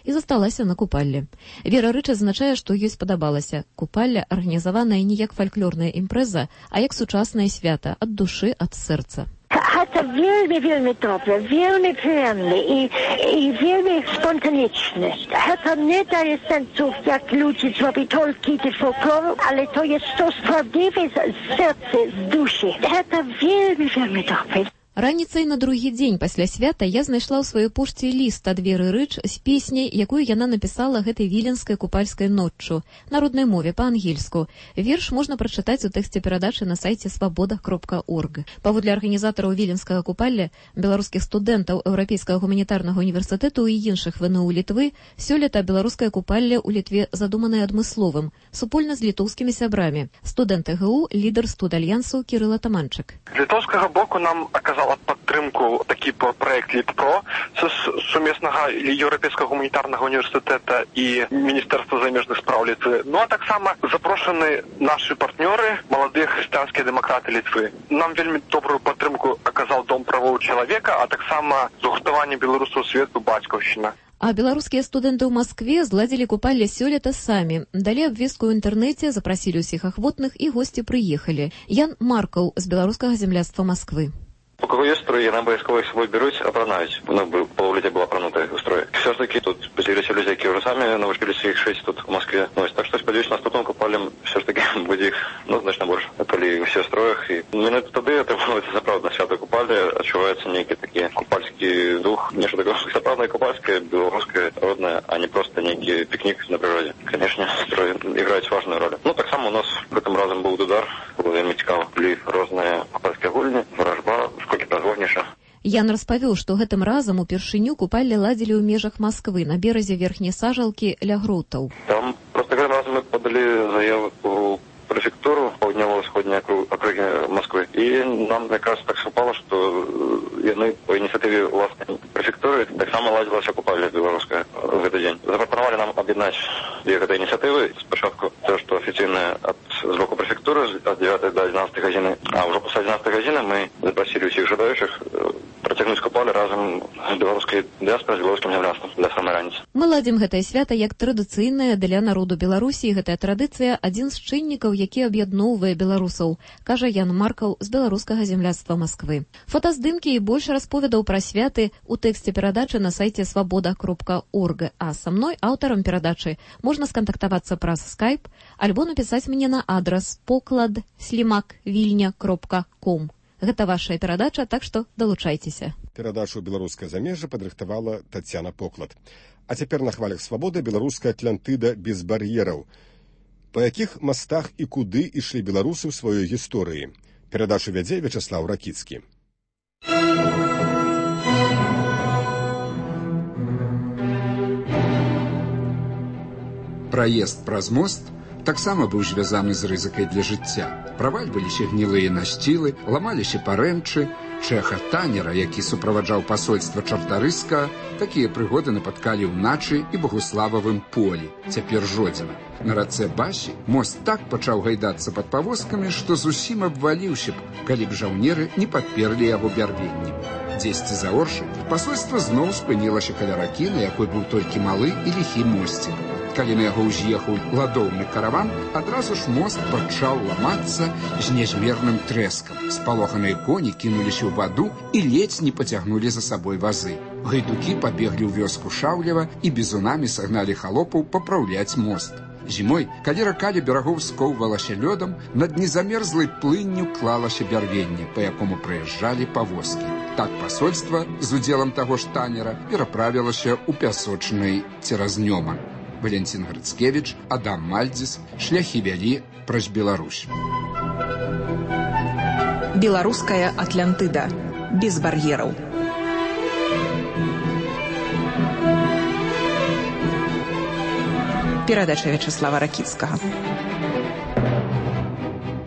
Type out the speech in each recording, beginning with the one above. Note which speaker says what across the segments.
Speaker 1: і засталася на купалле. Вера Рыч адзначае, што ёй спадабалася. Купалля арганізаваная не як фальклорная імпрэза, а як сучаснае свята, ад душы, ад сэрца.
Speaker 2: Гэта вельмі добра, вельмі прыемна і вельмі спонтанічна. Гэта не дае сэнсу, як людзі зробі толькі для фольклору, але то є то справдиве з сэрца, з душі. Гэта вельмі добра.
Speaker 1: Раніцай на другі дзень пасля свята я знайшла ў сваёй пошце ліст ад Веры Рыч з песняй, якую яна напісала гэтай віленскай купальскай ноччу, на роднай мове, па-ангельску. Верш можна прачытаць у тэксце перадачы на сайце свабода.орг. Паводле арганізатараў віленскага купалля, беларускіх студэнтаў Еўрапейскага гуманітарнага універсітэту і іншых ВНУ Літвы, сёлета беларускае купалле ў Літве задуманае адмысловым, супольна з літоўскімі сябрамі. Студэнт ЭГУ, лідар студальянсу Кірыл Атаманчык.
Speaker 3: З літоўскага боку нам аказала падтрымку такі праект Літпро сумеснага Еўрапейскага гуманітарнага універсітэта і Міністэрства замежных спраў Літвы. Ну а таксама запрошаны нашы партнёры, маладыя хрысціянскія дэмакраты Літвы. Нам вельмі добрую падтрымку аказаў Дом правоў чалавека, а таксама згуртаванне беларусаў свету бацькаўшчына.
Speaker 1: А беларускія студэнты ў Маскве зладзілі купалле сёлета самі. Далі абвестку ў інтэрнэце, запрасілі ўсіх ахвотных і госці прыехалі. Ян Маркаў з беларускага земляцтва Масквы.
Speaker 4: У кого есть строй, яны абавязкова іх собой беруць, апранаюць. Паўліця была апранутая ў строй. Все ж таки тут з'явіліся людзі, які ўжо самі навучыліся іх шыць тут у Маскве. Так што спадзяюся, наступным купаллем все ж таки будзе іх значна больш. Калі ўсе ў строях. І менавіта тады атрымоўваецца сапраўдна свята купалле, адчуваецца нейкі такі купальскі дух, нешта такое сапраўднае купальскае, беларускае, роднае, а не проста нейкі пікнік на прыродзе. Канешне, строі іграюць важную роль. Таксама у нас гэтым разам быў дудар, было вельмі цікава. Былі розныя купальскія гульні, варажба,
Speaker 1: Ян распавёў, што гэтым разам упершыню купалле ладзілі ў межах Масквы на беразе верхняй сажалкі ля Гротаў.
Speaker 4: Там проста гэтым разам мы падалі заяву у прэфектуру паўднёва-ўсходняй акругі Масквы. І нам якраз так супала, што яны па ініцыятыве ўласнай прэфектуры таксама ладзілася купалле беларуская ў гэты дзень. Запрапанавалі нам аб'яднаць дзве гэтай ініцыятывы. Спачатку тое, што афіцыйная з боку прэфектуры ад 9 до 11 гадзіны, а ўжо пасля 11 гадзіны мы запрасілі ўсіх жадаючых працягнуць купалле разам з беларускай дыяспорай, з беларускім земляцтвам да самай раніцы.
Speaker 1: Мы ладзім гэтае свята як традыцыйнае для народу Беларусі, і гэтая традыцыя адзін з чыннікаў, які аб'ядноўвае беларусаў, кажа Ян Маркаў з беларускага земляцтва Масквы. Фотаздымкі і больш расповедаў пра святы у тэксце перадачы на сайце свабода.орг. А са мной, аўтарам перадачы, можна скантактавацца праз Skype альбо напісаць мне на адрас poklad@vilnia.com. Гэта вашая перадача, так што далучайцеся.
Speaker 5: Перадачу «Беларускае замежжа» падрыхтавала Тацяна Поклад. А цяпер на хвалях свабоды беларуская Атлантыда без бар'ераў. Па якіх мастах і куды ішлі беларусы ў сваёй гісторыі? Перадачу вядзе Вячаслаў Ракіцкі.
Speaker 6: Праезд праз мост таксама быў звязаны з рызыкай для жыцця. Правальваліся гнілыя насцілы, ламаліся парэнчы. Чэха Танера, які суправаджаў пасольства Чартарыска, такія прыгоды напаткалі ўначы і Багуслававым полі, цяпер Жодзіна. На рацэ Басі мост так пачаў гайдацца пад павозкамі, што зусім абваліўся б, калі б жаўнеры не падперлі яго бярвеннем. Дзесьці за Оршай пасольства зноў спынілася каля ракі, на якой быў толькі малы і ліхі мосцік. Калі на яго ўз'ехаў ладоўны караван, адразу ж мост пачаў ламацца з нязмерным трэскам. Спалоханыя коні кінуліся ў ваду і ледзь не пацягнулі за сабой вазы. Гайдукі пабеглі ў вёску Шаўлева і бізунамі сагналі халопаў папраўляць мост. Зімой, калі рака ля берагоў скоўвалася лёдам, над незамерзлай плынню клалася бярвенне, па якому праязджалі павозкі. Так пасольства з удзелам таго ж Танера пераправілася ў пясочнай цераз Нёман. Валентин Грыцкевіч, Адам Мальдзіс, шляхі вялі праз Беларусь.
Speaker 7: Беларуская Атлантыда. Без бар'ераў. Перадача Вячаслава Ракіцкага.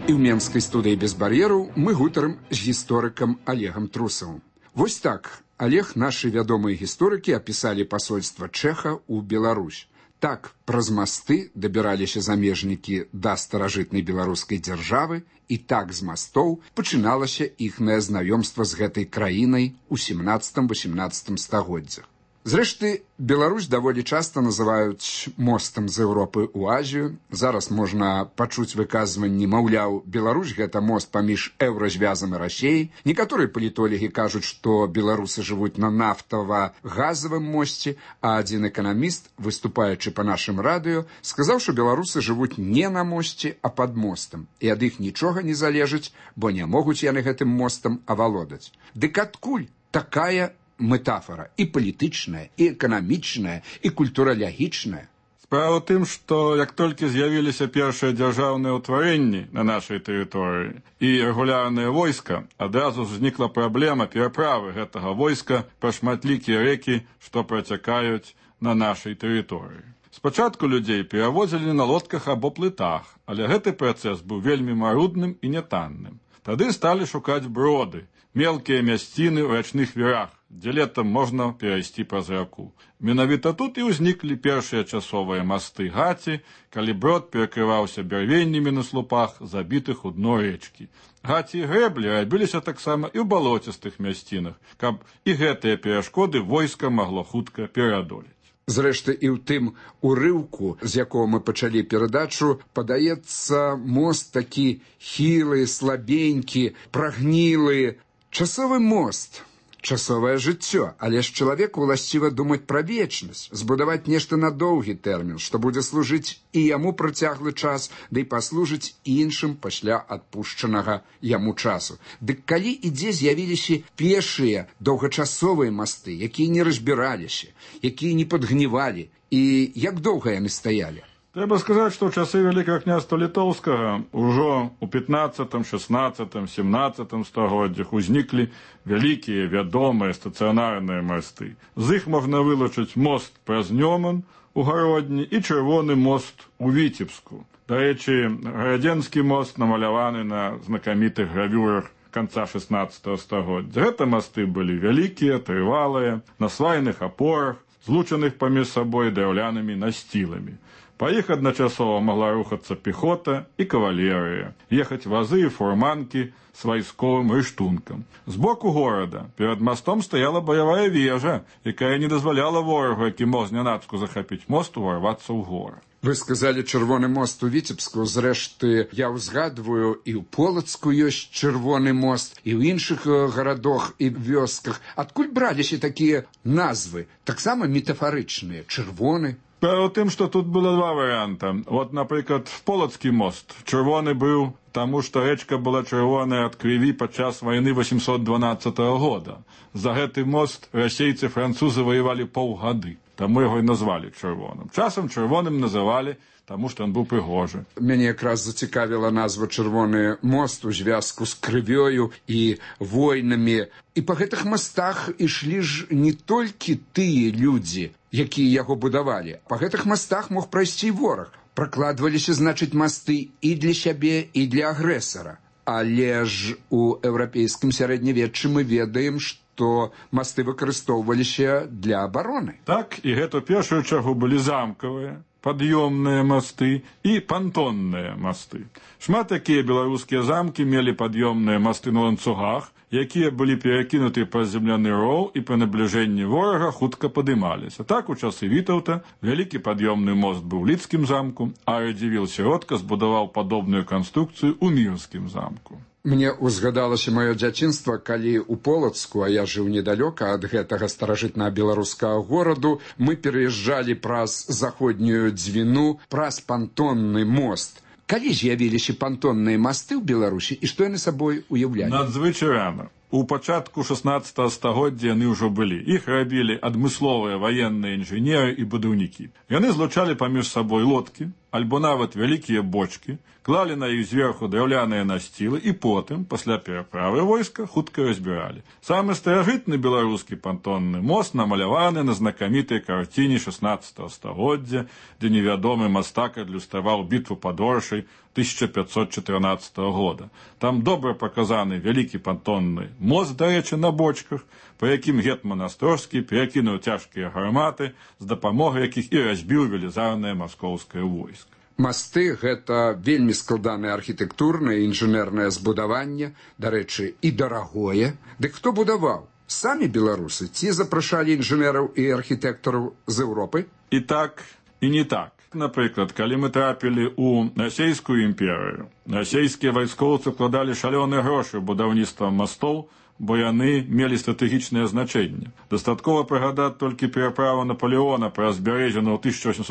Speaker 6: І ў менскай студыі без бар'ераў мы гутарым з гісторыкам Олегам Трусавым. Вось так Олег, нашы вядомыя гісторыкі апісалі пасольства Чэха ў Беларусь. Так праз масты дабіраліся замежнікі да старажытнай беларускай дзяржавы, і так з мастоў пачыналася іхнае знаёмства з гэтай краінай у 17-18 стагоддзях. Зрэшты, Беларусь даволі часта называюць мостам з Еўропы ў Азію. Зараз можна пачуць выказванні, маўляў, Беларусь – гэта мост паміж еўразвязам і Расіяй. Некаторыя палітолагі кажуць, што беларусы жывуць на нафтава-газавым мосце, а адзін эканаміст, выступаючы па нашым радыё, сказаў, што беларусы жывуць не на мосце, а пад мостам. І ад іх нічога не залежыць, бо не могуць яны гэтым мостам авалодаць. Дык адкуль такая метафора і палітычная, і эканамічная, і культуралягічная?
Speaker 8: Справа ў тым, што як толькі з'явіліся першыя дзяржаўныя ўтварэнні на нашай тэрыторыі і рэгулярнае войска, адразу ўзнікла праблема пераправы гэтага войска па шматлікія рэкі, што працякаюць на нашай тэрыторыі. Спачатку людзей перавозілі на лодках або плытах, але гэты працэс быў вельмі марудным і нятанным. Тады сталі шукаць броды, мелкія мясціны ў рачных вірах, дзе летам можна перайсці праз раку. Менавіта тут і ўзніклі першыя часовыя масты гаці, калі брод перакрываўся бярвеннямі на слупах, забітых у дно рэчкі. Гаці і грэблі рабіліся таксама і ў балоцістых мясцінах, каб і гэтыя перашкоды войска магло хутка пераадолець.
Speaker 6: Зрэшты, і ў тым урыўку, з якого мы пачалі перадачу, падаецца мост такі хілы, слабенькі, прагнілы. Часовы мост, часовае жыццё, але ж чалавеку ўласціва думаць пра вечнасць, збудаваць нешта на доўгі тэрмін, што будзе служыць і яму працяглы час, ды і паслужыць іншым пасля адпушчанага яму часу. Дык калі і дзе з'явіліся першыя доўгачасовыя масты, якія не разбіраліся, якія не падгнівалі, і як доўга яны стаялі?
Speaker 8: Трэба сказаць, што ў часы Вялікага княства Літоўскага ўжо ў 15, 16, 17 стагоддзях узніклі вялікія вядомыя стацыянарныя масты. З іх можна вылучыць мост праз Нёман у Гародні і чырвоны мост у Віцебску. Дарэчы, Гарадзенскі мост намаляваны на знакамітых гравюрах канца 16 стагоддзя. Гэта масты былі вялікія, трывалыя, на свайных апорах, злучаных паміж сабой драўлянымі насціламі. Па іх адначасова магла рухацца пехота і кавалерыя, ехаць вазы і фурманкі з вайсковым рыштункам. З боку горада перад мастом стаяла баявая вежа, якая не дазваляла ворагу, які мог знянацку захапіць мост, уварвацца ў горад.
Speaker 6: Вы сказалі чырвоны мост у Віцебску, зрэшты, я ўзгадваю, і ў Полацку ёсць чырвоны мост, і ў іншых гарадах і вёсках. Адкуль браліся такія назвы, таксама метафарычныя, чырвоны?
Speaker 8: Справа ў тым, што тут было два варыянта. Вот, напрыклад, Полацкі мост. Чырвоны быў, таму што рэчка была чырвоная ад крыві падчас вайны 812 года. За гэты мост расейцы французы ваявалі паўгады, таму яго і назвалі чырвоным. Часам чырвоным называлі, таму што ён быў прыгожы.
Speaker 6: Мяне якраз зацікавіла назва «Чырвоны мост» у звязку з крывёю і войнамі. І па гэтых мастах ішлі ж не толькі тыя людзі, якія яго будавалі. Па гэтых мастах мог прайсці вораг. Пракладваліся, значыць, масты і для сябе, і для агрэсара. Але ж у еўрапейскім сярэднявеччы мы ведаем, што масты выкарыстоўваліся для абароны.
Speaker 8: Так, і гэта ў першую чаргу былі замкавыя, пад'ёмныя масты і пантонныя масты. Шмат такія беларускія замкі мелі пад'ёмныя масты на ланцугах, якія былі перакінуты праз земляны роў і пры набліжэнні ворага хутка падымаліся. Так, у часы Вітаўта вялікі пад'ёмны мост быў у Лідскім замку, а Радзівіл Сіротка збудаваў падобную канструкцыю ў Мірскім замку.
Speaker 6: Мне ўзгадалася маё дзяцінства, калі ў Полацку, а я жыў недалёка ад гэтага старажытнага беларускага гораду, мы пераязджалі праз заходнюю Дзвіну, праз пантонны мост. Калі з'явіліся пантонныя масты ў Беларусі і што яны сабой уяўлялі?
Speaker 8: Надзвычай рана. У пачатку 16 стагоддзя яны ўжо былі. Іх рабілі адмысловыя ваенныя інжынеры і будаўнікі. Яны злучалі паміж сабой лодкі, альбо нават вялікія бочкі, клалі на іх зверху драўляныя насцілы і потым, пасля пераправы войска, хутка разбіралі. Самы старажытны беларускі пантонны мост намаляваны на знакамітай карціне 16 стагоддзя, дзе невядомы мастак адлюстраваў бітву пад Оршай 1514 года. Там добра паказаны вялікі пантонны мост, дарэчы, на бочках, па якім гетман Астрожскі перакінуў цяжкія гарматы, з дапамогай якіх і разбіў велізарнае маскоўскае войска.
Speaker 6: Масты – гэта вельмі складанае архітэктурнае і інжынернае збудаванне, дарэчы, і дарагое. Дык хто будаваў? самі беларусы ці запрашалі інжынераў і архітэктараў з Еўропы?
Speaker 8: І так, і не так. Напрыклад, калі мы трапілі ў расійскую імперыю, расійскія вайскоўцы вкладалі шалёныя грошы ў будаўніцтва мастоў, бо яны мелі стратэгічнае значэнне. Дастаткова прыгадаць толькі пераправу Наполеона праз Бярэзіну ў 1812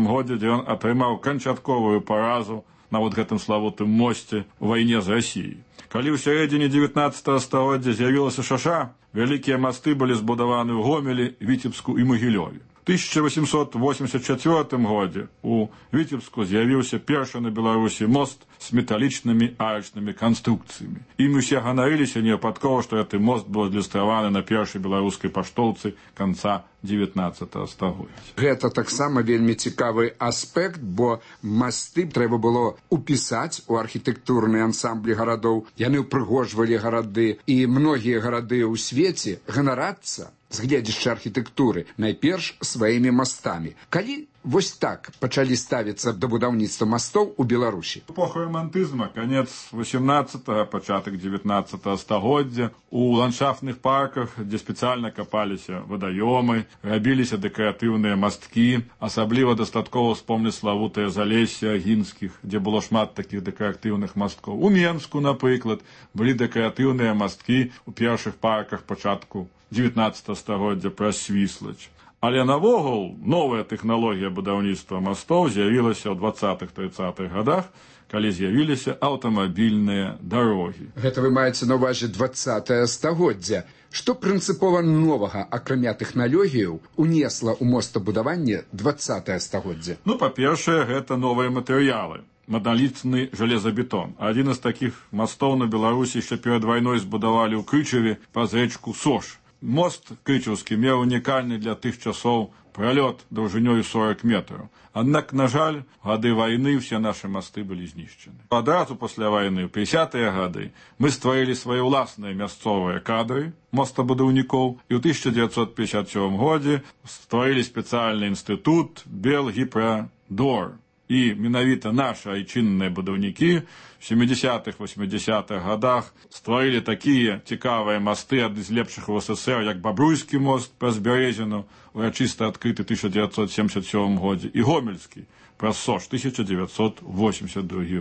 Speaker 8: годзе, дзе ён атрымаў канчатковую паразу на вот гэтым славутым мосце ў вайне з Расіяй. Калі ў сярэдзіне 19 стагоддзя з'явілася шаша, вялікія масты былі збудаваны ў Гомелі, Віцебску і Магілёве. У 1884 годзе у Віцебску з'явіўся першы на Беларусі мост з металічнымі арачнымі канструкцыямі. Ім усе ганарыліся невыпадкова, што гэты мост быў адлюстраваны на першай беларускай паштоўцы канца 19 стагоддзя.
Speaker 6: Гэта таксама вельмі цікавы аспект, бо масты трэба было упісаць у архітэктурныя ансамблі гарадоў. Яны ўпрыгожвалі гарады, і многія гарады ў свеце ганарацца з гледзяча архітэктуры найперш сваімі мастамі. Калі вось так пачалі ставіцца да будаўніцтва мастоў у Беларусі?
Speaker 8: Эпоха романтызма, канец 18-го, пачатак 19-го стагоддзя. У ландшафтных парках, дзе спецыяльна капаліся вадаёмы, рабіліся дэкаратыўныя масткі. Асабліва дастаткова вспомніць славутае Залессе Агінскіх, дзе было шмат такіх дэкаратыўных масткоў. У Менску, напрыклад, былі дэкаратыўныя масткі ў першых парках пачатку 19 стагоддзя праз Свіслач. Але навогул новая тэхналогія будаўніцтва мастоў з'явілася ў 20-30-х гадах, калі з'явіліся аўтамабільныя дарогі.
Speaker 6: Гэта вы маеце на ўвазе 20-е стагоддзя. Што прынцыпова новага, акрамя тэхналогіяў, унесла ў мостабудаванне 20-е стагоддзя?
Speaker 8: Па-першае, гэта новыя матэрыялы. Монолітны жалезабетон. Адзін з такіх мастоў на Беларусі яшчэ перад вайной збудавалі ў Крычаве праз рэчку Сош. Мост крычаўскі меў унікальны для тых часоў пралёт даўжынёю 40 метраў. Аднак, на жаль, гады вайны ўсе нашы масты былі знішчаны. Адразу пасля вайны, ў 50-е гады, мы стварылі свае ўласныя мясцовыя кадры мостабудаўнікоў і ў 1957 годзе стварылі спецыяльны інстытут Белгіпрадор. І менавіта нашы айчынныя будаўнікі в 70-х, 80-х годах стварылі такія цікавыя масты ад з лепшых у СССР, як Бабруйскі мост праз Бярэзіну, урачыста адкрыты 1977 годзе, і Гомельскі праз Сош 1982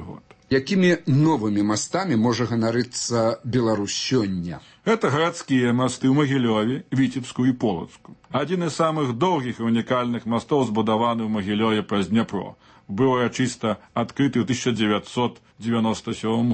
Speaker 8: год.
Speaker 6: Якімі новымі мастамі можа ганарыцца Беларусь сёння?
Speaker 8: Гэта гарадскія масты ў Магілёве, Віцебску і Полацку. Адзін з самых доўгіх і унікальных мастоў збудаваны ў Магілёве праз Дняпро. Быў урачыста адкрыты ў 1997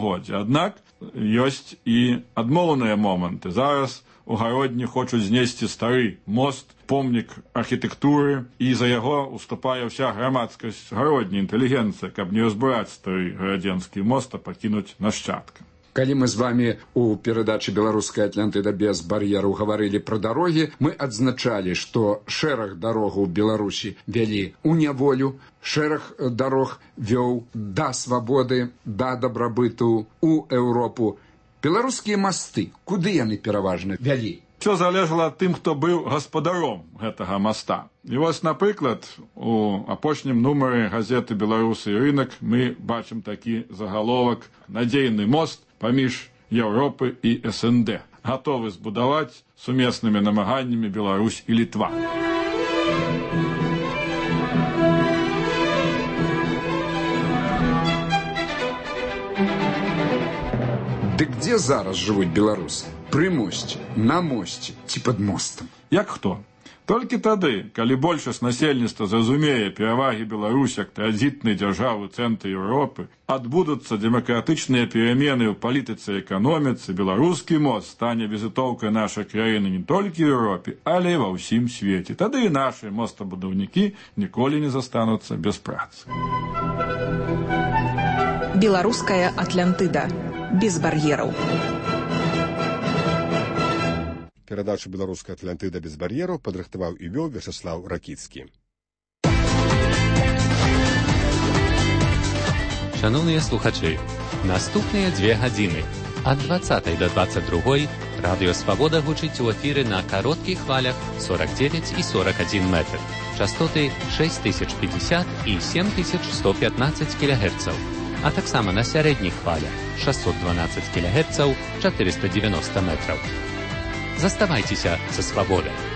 Speaker 8: годзе. Аднак ёсць і адмоўныя моманты. Зараз у Гародні хочуць знесці стары мост, помнік архітэктуры, і за яго уступае ўся грамадскасць Гародні, інтэлігенцыя, каб не разбураць стары гарадзенскі мост, а пакінуць нашчадкам.
Speaker 6: Калі мы з вамі у перадачы «Беларуская Атлантыда без бар'ераў» гаварылі пра дарогі, мы адзначалі, што шэраг дарогаў Беларусі вялі ў няволю, шэраг дарог вёў да свабоды, да дабрабыту у Еўропу. Беларускія масты, куды яны пераважна вялі?
Speaker 8: Усё залежала ад тым, хто быў гаспадаром гэтага моста. І вось, напрыклад, у апошнім нумары газеты «Беларусы і рынак» мы бачым такі загаловак «Надзейны мост паміж Еўропы і СНД. Гатовы збудаваць сумеснымі намаганнямі Беларусь і Літва».
Speaker 6: Дык дзе зараз жывуць беларусы? Пры мосце, на мосце ці пад мостам?
Speaker 8: Як хто? Толькі тады, калі большасць насельніцтва зразумее перавагі Беларусь як транзітнай дзяржавы ў цэнтры Еўропы, адбудуцца дэмакратычныя перамены ў палітыцы і эканоміцы, беларускі мост стане візітоўкай нашай краіны не толькі ў Еўропе, але і ва ўсім свеце. Тады і нашы мостабудаўнікі ніколі не застануцца без працы.
Speaker 7: Беларуская Атлантыда. Без бар'ераў.
Speaker 5: Перадачу «Беларуская Атлантыда без бар'ераў» падрыхтаваў і вёў Вячаслаў Ракіцкі.
Speaker 9: Шановныя слухачы, наступныя 2 гадзіны ад 20 до 22 радыё «Свабода» гучыць у эфіры на кароткіх хвалях 49 і 41 метр, частоты 6050 і 7115 кГц, а таксама на сярэдніх хвалях 612 кГц, 490 метраў. Заставайцеся са свабодай.